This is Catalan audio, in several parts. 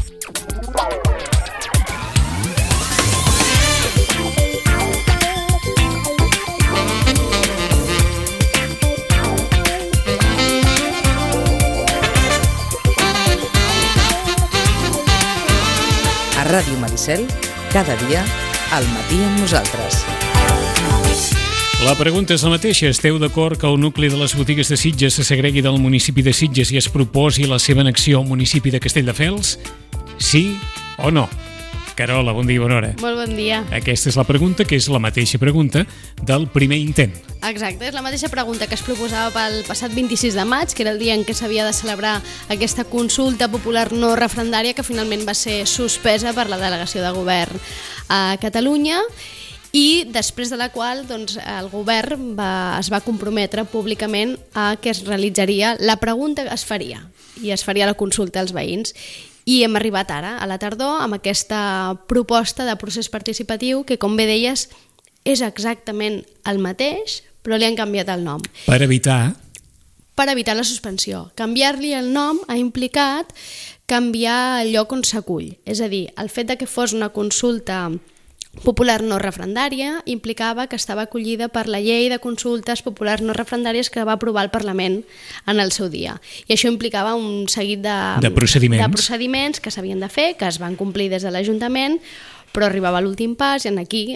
A Ràdio Maricel, cada dia, al matí amb nosaltres. La pregunta és la mateixa. Esteu d'acord que el nucli de les botigues de Sitges se segregui del municipi de Sitges i es proposi la seva annexió al municipi de Castelldefels? Sí o no? Carola, bon dia i bona hora. Molt bon dia. Aquesta és la pregunta, que és la mateixa pregunta del primer intent. Exacte, és la mateixa pregunta que es proposava pel passat 26 de maig, que era el dia en què s'havia de celebrar aquesta consulta popular no referendària que finalment va ser suspesa per la delegació de govern a Catalunya, i després de la qual el govern es va comprometre públicament a que es realitzaria la pregunta, es faria la consulta als veïns. I hem arribat ara, a la tardor, amb aquesta proposta de procés participatiu que, com bé deies, és exactament el mateix, però li han canviat el nom. Per evitar la suspensió. Canviar-li el nom ha implicat canviar el lloc on s'acull. És a dir, el fet de que fos una consulta popular no referendària implicava que estava acollida per la llei de consultes populars no referendàries que va aprovar el Parlament en el seu dia. I això implicava un seguit de procediments que s'havien de fer, que es van complir des de l'Ajuntament, però arribava l'últim pas i aquí,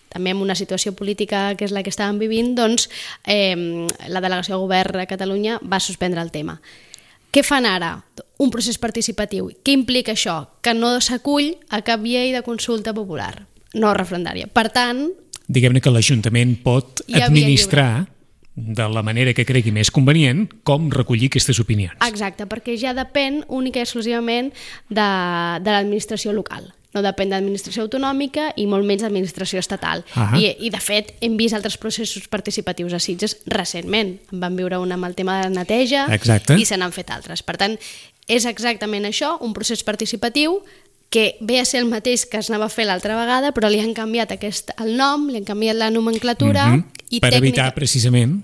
també en una situació política que és la que estàvem vivint, la delegació de govern a Catalunya va suspendre el tema. Què fan ara? Un procés participatiu. Què implica això? Que no s'acull a cap llei de consulta popular no referendària. Per tant... Diguem-ne que l'Ajuntament pot administrar de la manera que cregui més convenient com recollir aquestes opinions. Exacte, perquè ja depèn única i exclusivament de l'administració local. No depèn d'administració autonòmica i molt menys d'administració estatal. I de fet, hem vist altres processos participatius a Sitges recentment. En vam viure un amb el tema de la neteja. Exacte. I se n'han fet altres. Per tant, és exactament això, un procés participatiu que ve a ser el mateix que es anava a fer l'altra vegada, però li han canviat el nom, li han canviat la nomenclatura i per evitar precisament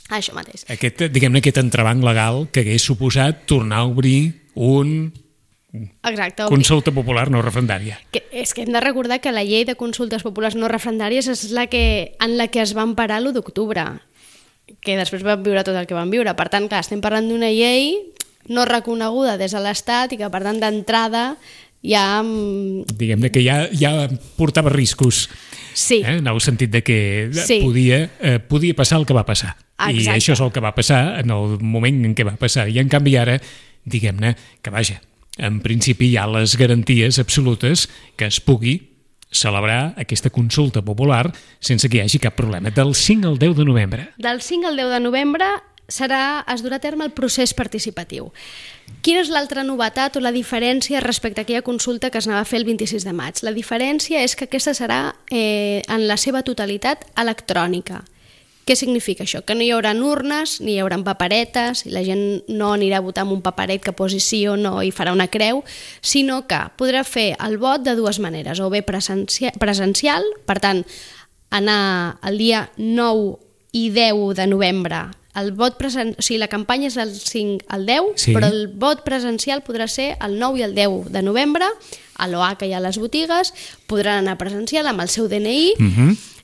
això mateix. Aquest entrebanc legal que hagués suposat tornar a obrir consulta popular no referendària. És que hem de recordar que la llei de consultes populars no referendàries és en la que es va emparar l'1 d'octubre, que després vam viure tot el que vam viure. Per tant, clar, estem parlant d'una llei no reconeguda des de l'Estat i que, per tant, d'entrada ja... Diguem-ne que ja portava riscos. Sí. En el sentit de que podia passar el que va passar. Exacte. I això és el que va passar en el moment en què va passar. I en canvi ara, diguem-ne que vaja, en principi hi ha les garanties absolutes que es pugui celebrar aquesta consulta popular sense que hi hagi cap problema. Del 5 al 10 de novembre. Del 5 al 10 de novembre es durà a terme el procés participatiu. Quina és l'altra novetat o la diferència respecte a aquella consulta que es anava a fer el 26 de maig? La diferència és que aquesta serà en la seva totalitat electrònica. Què significa això? Que no hi haurà urnes, ni hi haurà paperetes, i la gent no anirà a votar amb un paperet que posi sí o no i farà una creu, sinó que podrà fer el vot de dues maneres, o bé presencial, per tant, anar el dia 9 i 10 de novembre. La campanya és del 5 al 10, sí. Però el vot presencial podrà ser el 9 i el 10 de novembre, a l'OA que hi ha a les botigues, podran anar presencial amb el seu DNI.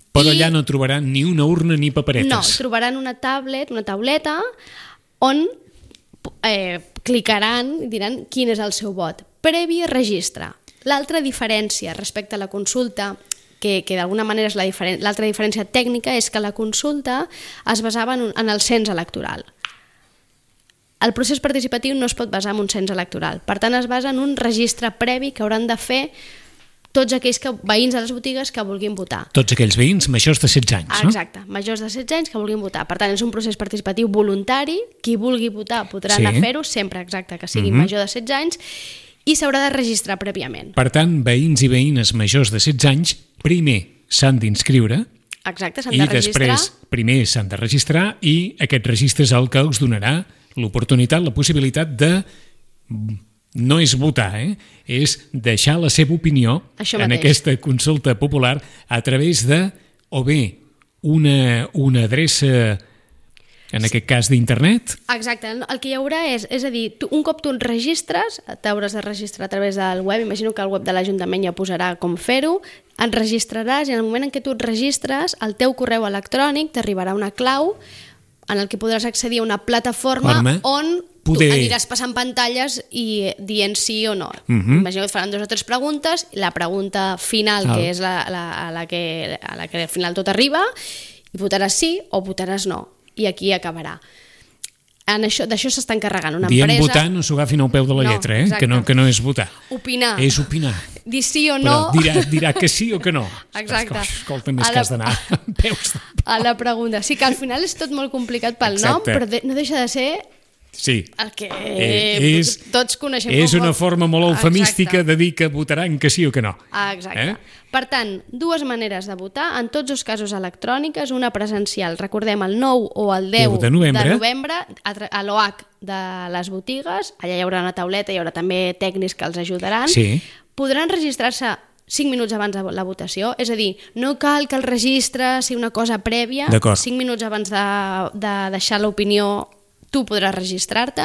Però allà no trobaran ni una urna ni paperetes. No, trobaran una tauleta, on clicaran i diran quin és el seu vot. Previ registre. L'altra diferència respecte a la consulta, que d'alguna manera és l'altra diferència tècnica, és que la consulta es basava en el cens electoral. El procés participatiu no es pot basar en un cens electoral. Per tant, es basa en un registre previ que hauran de fer tots aquells veïns de les botigues que vulguin votar. Tots aquells veïns majors de 16 anys, no? Exacte, majors de 16 anys que vulguin votar. Per tant, és un procés participatiu voluntari. Qui vulgui votar podrà anar a fer-ho, sempre que sigui major de 16 anys, i s'haurà de registrar prèviament. Per tant, veïns i veïnes majors de 16 anys primer s'han d'inscriure. Exacte, s'han de registrar. I després primer s'han de registrar i aquest registre és el que us donarà l'oportunitat, la possibilitat de... No és votar, és deixar la seva opinió en aquesta consulta popular a través de, o bé, una adreça En aquest cas d'internet? Exacte, el que hi haurà és a dir, un cop tu et registres, t'hauràs de registrar a través del web, imagino que el web de l'Ajuntament ja posarà com fer-ho, et registraràs i en el moment en què tu et registres, al teu correu electrònic t'arribarà una clau en el que podràs accedir a una plataforma on tu aniràs passant pantalles i dient sí o no. Imagino que et faran 2 o 3 preguntes, i la pregunta final, que és a la que al final tot arriba, i votaràs sí o votaràs no. I aquí acabarà. D'això s'està encarregant una empresa. Dient votar no s'ho agafin al peu de la lletra, que no és votar. Opinar. És opinar. Dir sí o no. Però dirà que sí o que no. Exacte. Escolta, més que has d'anar amb peus. A la pregunta. Sí que al final és tot molt complicat pel nom, però no deixa de ser el que tots coneixem. És una forma molt eufemística de dir que votaran que sí o que no. Exacte. Per tant, 2 maneres de votar, en tots els casos electròniques, una presencial, recordem, el 9 o el 10 de novembre, a l'OH de les botigues, allà hi haurà una tauleta, hi haurà també tècnics que els ajudaran, podran registrar-se 5 minuts abans de la votació, és a dir, no cal que el registre sigui una cosa prèvia, 5 minuts abans de deixar l'opinió tu podràs registrar-te.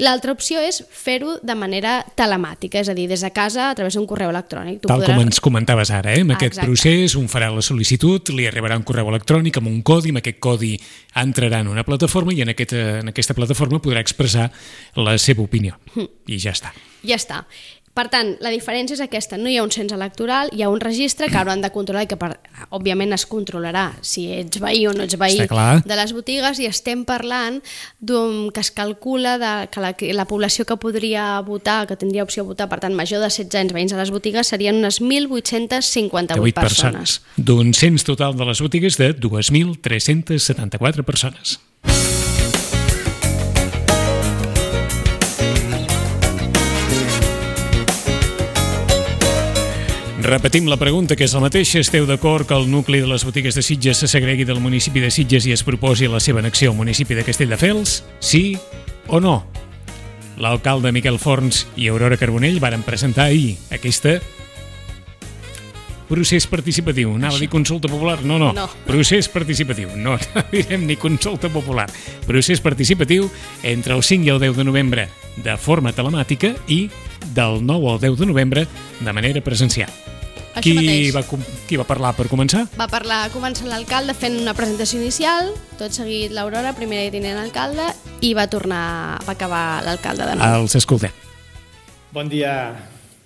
L'altra opció és fer-ho de manera telemàtica, és a dir, des de casa a través d'un correu electrònic. Tal com ens comentaves ara, amb aquest procés, un farà la sol·licitud, li arribarà un correu electrònic amb un codi, amb aquest codi entrarà en una plataforma i en aquesta plataforma podrà expressar la seva opinió. I ja està. Ja està. Per tant, la diferència és aquesta, no hi ha un cens electoral, hi ha un registre que hauran de controlar i que òbviament es controlarà si ets veí o no ets veí de les botigues, i estem parlant que es calcula que la població que podria votar, que tindria opció a votar, per tant major de 16 anys veïns a les botigues, serien unes 1.858 persones. D'un cens total de les botigues de 2.374 persones. Repetim la pregunta, que és la mateixa. Esteu d'acord que el nucli de les botigues de Sitges se segregui del municipi de Sitges i es proposi la seva annexió al municipi de Castelldefels? Sí o no? L'alcalde Miquel Forns i Aurora Carbonell varen presentar ahir aquesta procés participatiu. Anava a dir consulta popular? No. Procés participatiu. No direm ni consulta popular. Procés participatiu entre el 5 i el 10 de novembre de forma telemàtica i del 9 al 10 de novembre de manera presencial. Qui va parlar per començar? Va començar l'alcalde fent una presentació inicial, tot seguit l'Aurora, primera i tinent alcalde, i va acabar l'alcalde de nou. Els escoltem. Bon dia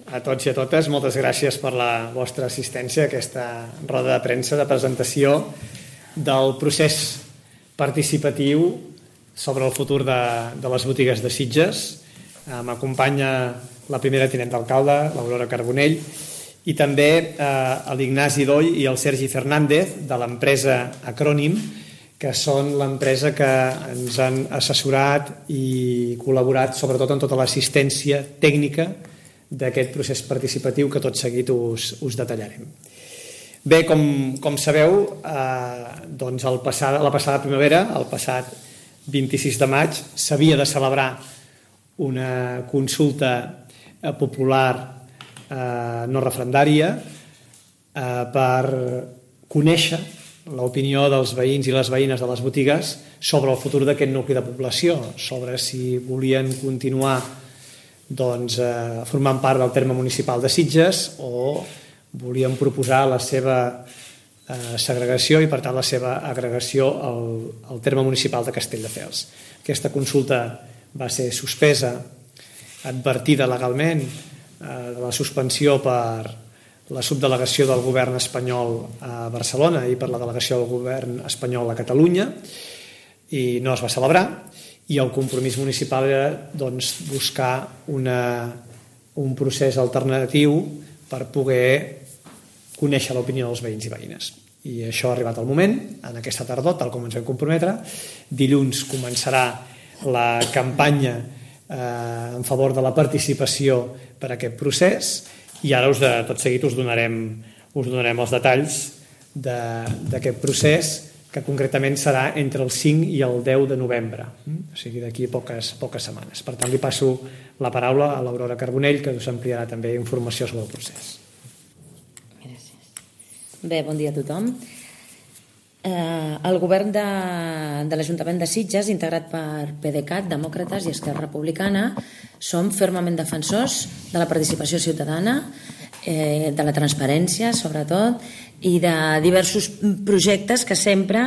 a tots i a totes. Moltes gràcies per la vostra assistència a aquesta roda de premsa de presentació del procés participatiu sobre el futur de les botigues de Sitges. M'acompanya la primera tinent d'alcalde, l'Aurora Carbonell, i també l'Ignasi Doll i el Sergi Fernández de l'empresa Acrònim, que són l'empresa que ens han assessorat i col·laborat sobretot en tota l'assistència tècnica d'aquest procés participatiu que tot seguit us detallarem. Bé, com sabeu, doncs la passada primavera, el passat 26 de maig, s'havia de celebrar una consulta popular no referendària per conèixer l'opinió dels veïns i les veïnes de les botigues sobre el futur d'aquest nucli de població, sobre si volien continuar formant part del terme municipal de Sitges o volien proposar la seva segregació i per tant la seva agregació al terme municipal de Castelldefels. Aquesta consulta va ser suspesa, advertida legalment de la suspensió per la subdelegació del govern espanyol a Barcelona i per la delegació del govern espanyol a Catalunya, i no es va celebrar, i el compromís municipal era buscar un procés alternatiu per poder conèixer l'opinió dels veïns i veïnes. I això ha arribat al moment, en aquesta tardor, tal com ens vam comprometre. Dilluns començarà la campanya en favor de la participació per a aquest procés, i ara tot seguit us donarem els detalls d'aquest procés, que concretament serà entre el 5 i el 10 de novembre, o sigui d'aquí poques setmanes. Per tant, li passo la paraula a l'Aurora Carbonell, que us ampliarà també informació sobre el procés. Gràcies. Bé, bon dia a tothom. El govern de l'Ajuntament de Sitges, integrat per PDeCAT, Demòcrates i Esquerra Republicana, som fermament defensors de la participació ciutadana, de la transparència, sobretot, i de diversos projectes que sempre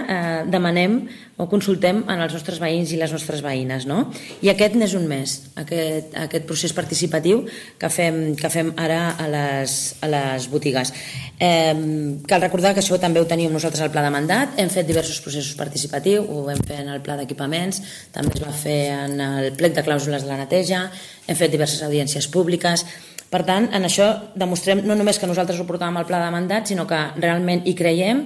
demanem o consultem en els nostres veïns i les nostres veïnes, no? I aquest n'és un més, aquest procés participatiu que fem ara a les botigues. Cal recordar que això també ho teníem nosaltres al pla de mandat, hem fet diversos processos participatius, ho vam fer en el pla d'equipaments, també es va fer en el plec de clàusules de la neteja, hem fet diverses audiències públiques. Per tant, en això demostrem no només que nosaltres ho portàvem al pla de mandat, sinó que realment hi creiem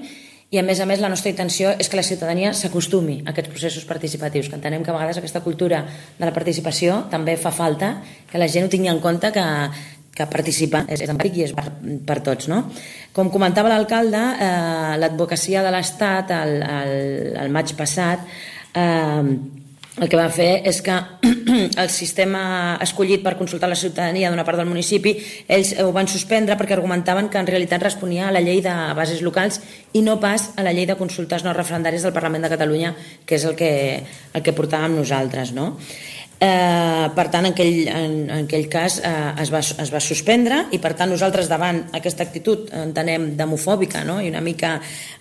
i, a més, la nostra intenció és que la ciutadania s'acostumi a aquests processos participatius, que entenem que a vegades aquesta cultura de la participació també fa falta, que la gent ho tingui en compte que participar és empàtic i és per tots, no? Com comentava l'alcalde, l'advocacia de l'Estat el maig passat el que va fer és que el sistema escollit per consultar la ciutadania d'una part del municipi, ells ho van suspendre perquè argumentaven que en realitat responia a la llei de bases locals i no pas a la llei de consultes no referendàries del Parlament de Catalunya, que és el que portàvem nosaltres, no? Per tant, en aquell cas es va suspendre i, per tant, nosaltres davant aquesta actitud entenem demofòbica, no? I una mica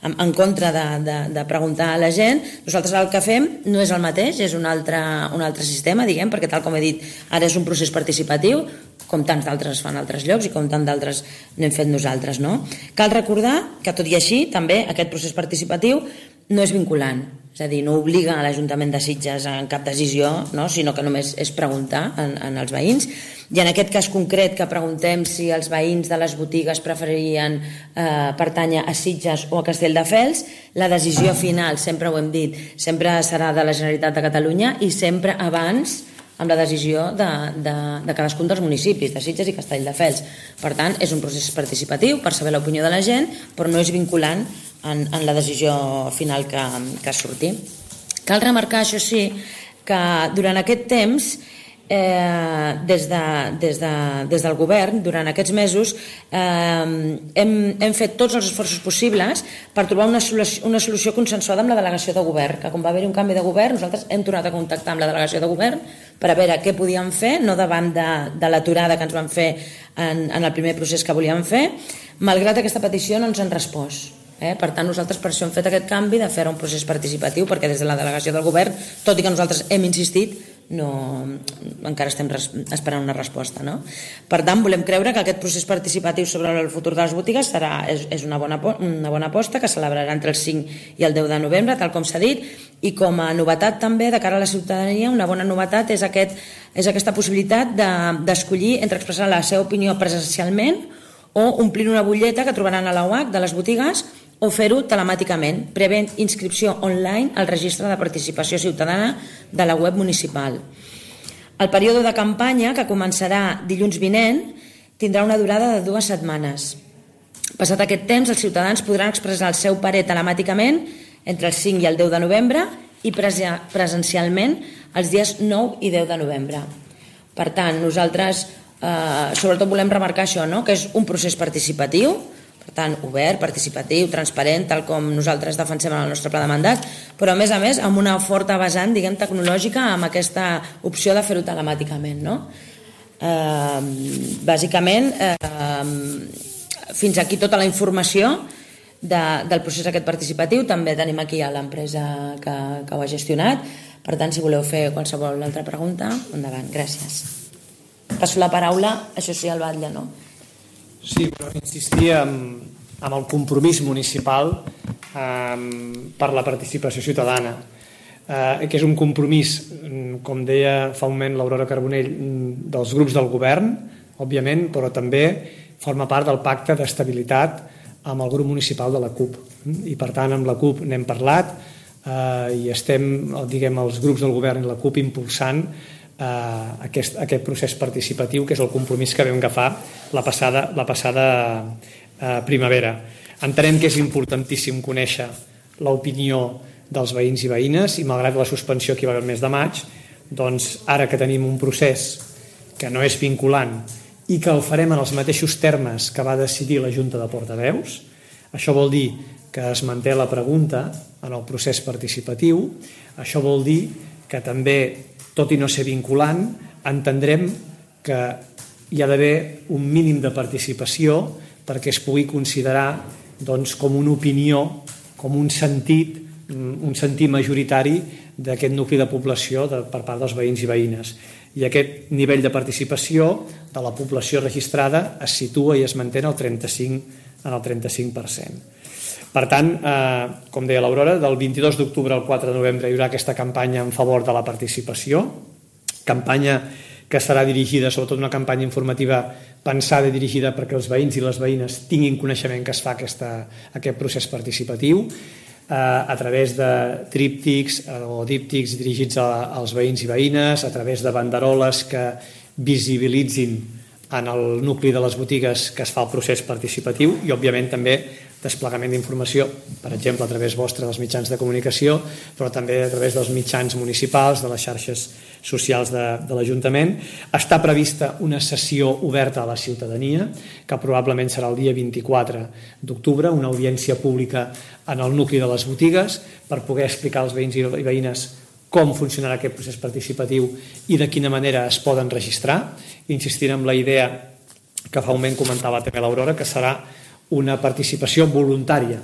en contra de preguntar a la gent, nosaltres el que fem no és el mateix, és un altre sistema, diguem, perquè tal com he dit, ara és un procés participatiu, com tants d'altres es fan a altres llocs i com tant d'altres n'hem fet nosaltres, no? Cal recordar que, tot i així, també aquest procés participatiu no és vinculant, és a dir, no obliga a l'Ajuntament de Sitges en cap decisió, no? Sinó que només és preguntar en els veïns. I en aquest cas concret que preguntem si els veïns de les botigues preferirien pertànyer a Sitges o a Castelldefels, la decisió final, sempre ho hem dit, sempre serà de la Generalitat de Catalunya i sempre abans amb la decisió de cadascun dels municipis, de Sitges i Castelldefels. Per tant, és un procés participatiu per saber l'opinió de la gent, però no és vinculant en la decisió final que surti. Cal remarcar, això sí, que durant aquest temps, des del govern, durant aquests mesos, hem fet tots els esforços possibles per trobar una solució consensuada amb la delegació de govern, que quan va haver-hi un canvi de govern, nosaltres hem tornat a contactar amb la delegació de govern per a veure què podíem fer, no davant de l'aturada que ens van fer en el primer procés que volíem fer, malgrat aquesta petició no ens han respost. Per tant, nosaltres per això hem fet aquest canvi de fer un procés participatiu, perquè des de la delegació del govern, tot i que nosaltres hem insistit, encara estem esperant una resposta, no? Per tant, volem creure que aquest procés participatiu sobre el futur de les botigues és una bona aposta que celebrarà entre el 5 i el 10 de novembre, tal com s'ha dit, i com a novetat també de cara a la ciutadania, una bona novetat és aquesta possibilitat d'escollir entre expressar la seva opinió presencialment o omplir una butlleta que trobaran a la UAC de les botigues o fer-ho telemàticament, prevent inscripció online al registre de participació ciutadana de la web municipal. El període de campanya, que començarà dilluns vinent, tindrà una durada de 2 setmanes. Passat aquest temps, els ciutadans podran expressar el seu parer telemàticament entre el 5 i el 10 de novembre i presencialment els dies 9 i 10 de novembre. Per tant, nosaltres sobretot volem remarcar això, no? Que és un procés participatiu, per tant, obert, participatiu, transparent, tal com nosaltres defensem en el nostre pla de mandat, però a més amb una forta vessant, diguem, tecnològica, amb aquesta opció de fer-ho telemàticament, no? Bàsicament, fins aquí tota la informació del procés aquest participatiu. També tenim aquí a l'empresa que ho ha gestionat. Per tant, si voleu fer qualsevol altra pregunta, endavant. Gràcies. Passo la paraula, això sí, al Batlle, no? Sí, però insistir en el compromís municipal per la participació ciutadana, que és un compromís, com deia fa un moment l'Aurora Carbonell, dels grups del govern, òbviament, però també forma part del pacte d'estabilitat amb el grup municipal de la CUP. I per tant, amb la CUP n'hem parlat i estem, diguem, els grups del govern i la CUP impulsant aquest procés participatiu, que és el compromís que vam agafar la passada primavera. Entenem que és importantíssim conèixer l'opinió dels veïns i veïnes i malgrat la suspensió que hi va haver el mes de maig, doncs ara que tenim un procés que no és vinculant i que el farem en els mateixos termes que va decidir la Junta de Portaveus, això vol dir que es manté la pregunta en el procés participatiu. Això vol dir que també, tot i no ser vinculant, entendrem que hi ha d'haver un mínim de participació perquè es pugui considerar com una opinió, com un sentit majoritari d'aquest nucli de població per part dels veïns i veïnes. I aquest nivell de participació de la població registrada es situa i es manté en el 35%. Per tant, com deia l'Aurora, del 22 d'octubre al 4 de novembre hi haurà aquesta campanya en favor de la participació, campanya que serà dirigida, sobretot una campanya informativa pensada i dirigida perquè els veïns i les veïnes tinguin coneixement que es fa aquest procés participatiu, a través de tríptics o díptics dirigits als veïns i veïnes, a través de banderoles que visibilitzin en el nucli de les botigues que es fa el procés participatiu i, òbviament, també desplegament d'informació, per exemple, a través vostre dels mitjans de comunicació, però també a través dels mitjans municipals, de les xarxes socials de l'Ajuntament. Està prevista una sessió oberta a la ciutadania, que probablement serà el dia 24 d'octubre, una audiència pública en el nucli de les botigues, per poder explicar als veïns i veïnes com funcionarà aquest procés participatiu i de quina manera es poden registrar. Insistir en la idea que fa un moment comentava també l'Aurora, que serà una participació voluntària,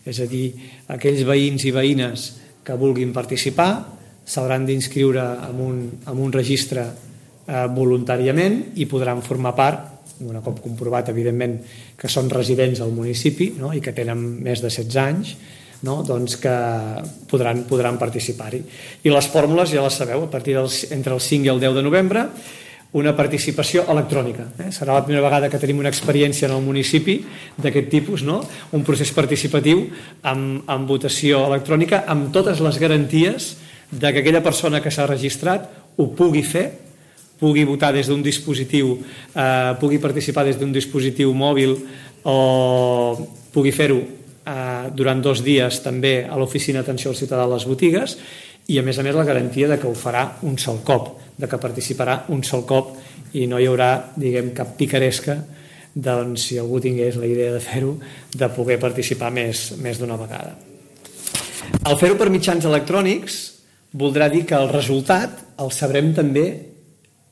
és a dir, aquells veïns i veïnes que vulguin participar s'hauran d'inscriure en un registre voluntàriament i podran formar part, un cop comprovat, evidentment, que són residents al municipi i que tenen més de 16 anys, doncs que podran participar-hi. I les fórmules ja les sabeu, a partir entre el 5 i el 10 de novembre, una participació electrònica. Serà la primera vegada que tenim una experiència en el municipi d'aquest tipus, un procés participatiu amb votació electrònica, amb totes les garanties que aquella persona que s'ha registrat ho pugui fer, pugui votar des d'un dispositiu, pugui participar des d'un dispositiu mòbil o pugui fer-ho durant 2 dies també a l'oficina d'atenció al ciutadà de les botigues i, a més, la garantia que ho farà un sol cop, que participarà un sol cop i no hi haurà, cap picaresca, si algú tingués la idea de fer-ho, de poder participar més d'una vegada. El fer-ho per mitjans electrònics voldrà dir que el resultat el sabrem també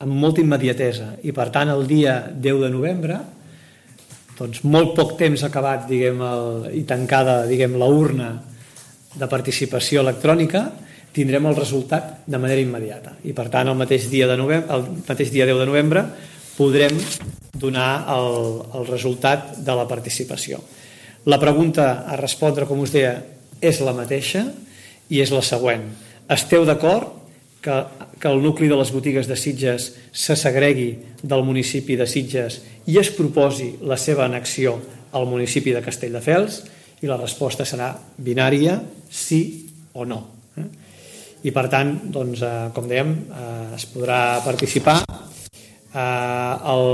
amb molta immediatesa i, per tant, el dia 10 de novembre, molt poc temps acabat i tancada la urna de participació electrònica, tindrem el resultat de manera immediata i, per tant, el mateix dia 10 de novembre podrem donar el resultat de la participació. La pregunta a respondre, com us deia, és la mateixa i és la següent. Esteu d'acord que el nucli de les botigues de Sitges se segregui del municipi de Sitges i es proposi la seva annexió al municipi de Castelldefels? I la resposta serà binària, sí o no. I, per tant, com dèiem, es podrà participar. El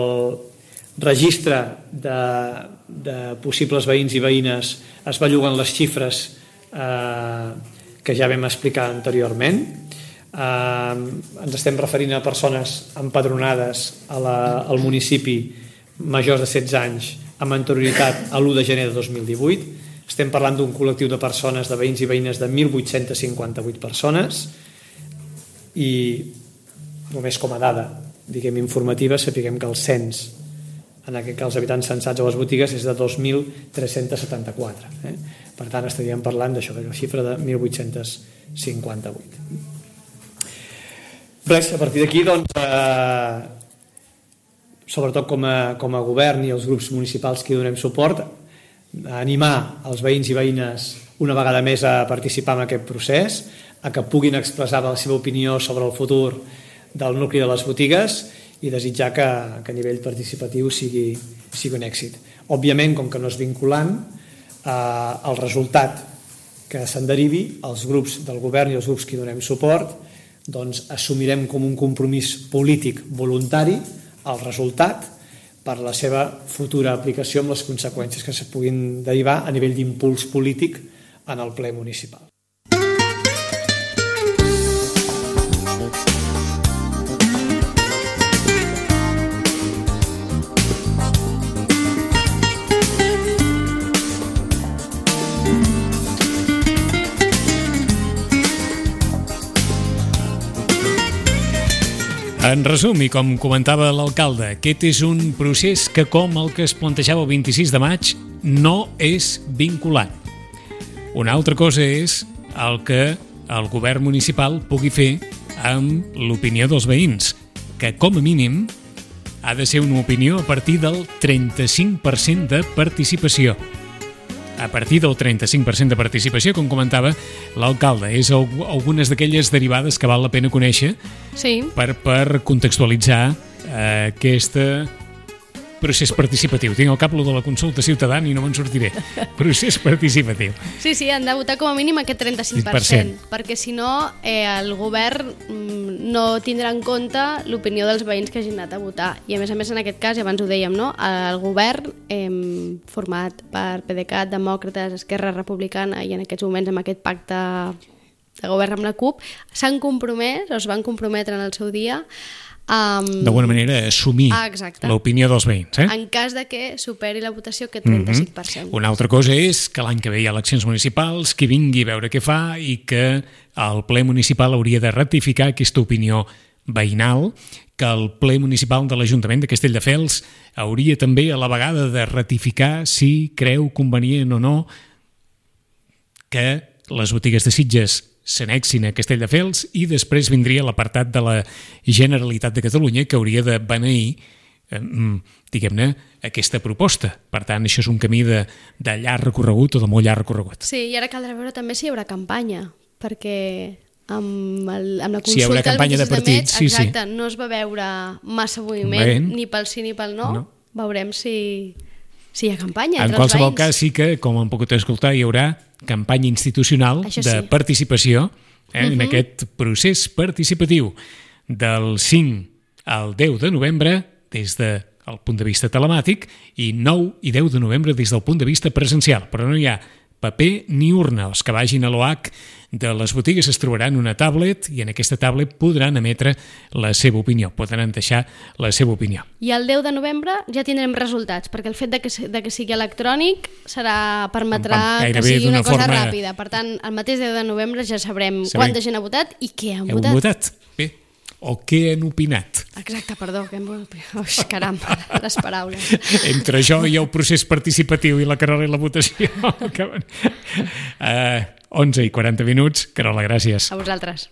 registre de possibles veïns i veïnes es belluguen les xifres que ja vam explicar anteriorment. Ens estem referint a persones empadronades al municipi majors de 16 anys amb anterioritat a l'1 de gener de 2018. Estem parlant d'un col·lectiu de persones, de veïns i veïnes, de 1.858 persones i només com a dada, informativa, sapiguem que el cens, en aquest cas els habitants censats a les botigues, és de 2.374. Per tant, estaríem parlant d'això, de la xifra de 1.858. Res, a partir d'aquí, sobretot com a govern i els grups municipals que hi donem suport, animar els veïns i veïnes una vegada més a participar en aquest procés, a que puguin expressar la seva opinió sobre el futur del nucli de les botigues i desitjar que a nivell participatiu sigui un èxit. Òbviament, com que no és vinculant, el resultat que se'n derivi, els grups del govern i els grups que hi donem suport, assumirem com un compromís polític voluntari el resultat per la seva futura aplicació amb les conseqüències que se puguin derivar a nivell d'impuls polític en el ple municipal. En resum, i com comentava l'alcalde, aquest és un procés que, com el que es plantejava el 26 de maig, no és vinculant. Una altra cosa és el que el govern municipal pugui fer amb l'opinió dels veïns, que com a mínim ha de ser una opinió a partir del 35% de participació. A partir del 35% de participació, com comentava l'alcalde. És algunes d'aquelles derivades que val la pena conèixer per contextualitzar aquest procés participatiu. Tinc al cap lo de la consulta ciutadana i no me'n sortiré. Procés participatiu. Sí, han de votar com a mínim aquest 35%, perquè si no el govern no tindrà en compte l'opinió dels veïns que hagin anat a votar. I a més, en aquest cas, i abans ho dèiem, no? El govern format per PDeCAT, Demòcrates, Esquerra Republicana i en aquests moments amb aquest pacte de govern amb la CUP s'han compromès, o es van comprometre en el seu dia d'alguna manera assumir l'opinió dels veïns. En cas de que superi la votació aquest 35%. Una altra cosa és que l'any que ve hi ha eleccions municipals, que vingui a veure què fa i que el ple municipal hauria de ratificar aquesta opinió veïnal, que el ple municipal de l'Ajuntament de Castelldefels hauria també a la vegada de ratificar si creu convenient o no que les botigues de Sitges s'annexin a Castelldefels, i després vindria l'apartat de la Generalitat de Catalunya que hauria de beneir diguem-ne, aquesta proposta. Per tant, això és un camí de llarg recorregut o de molt llarg recorregut. Sí, i ara caldrà veure també si hi haurà campanya, perquè amb la consulta... Si hi haurà campanya de partits, sí. No es va veure massa moviment, ni pel sí ni pel no. Veurem si hi ha campanya entre els veïns. En qualsevol cas, sí que, com hem pogut escoltar, hi haurà campanya institucional de participació en aquest procés participatiu del 5 al 10 de novembre des del punt de vista telemàtic i 9 i 10 de novembre des del punt de vista presencial. Però no hi ha paper ni urna. Els que vagin a l'OH de les botigues es trobaran una tablet i en aquesta tablet podran emetre la seva opinió, podran deixar la seva opinió. I el 10 de novembre ja tindrem resultats, perquè el fet de que sigui electrònic permetrà que sigui una cosa ràpida. Per tant, el mateix 10 de novembre ja sabrem quanta gent ha votat i què han votat. Bé, o què han opinat. Exacte, perdó. Caram, les paraules. Entre jo i el procés participatiu i la Carola i la votació. 11 i 40 minuts. Carola, gràcies. A vosaltres.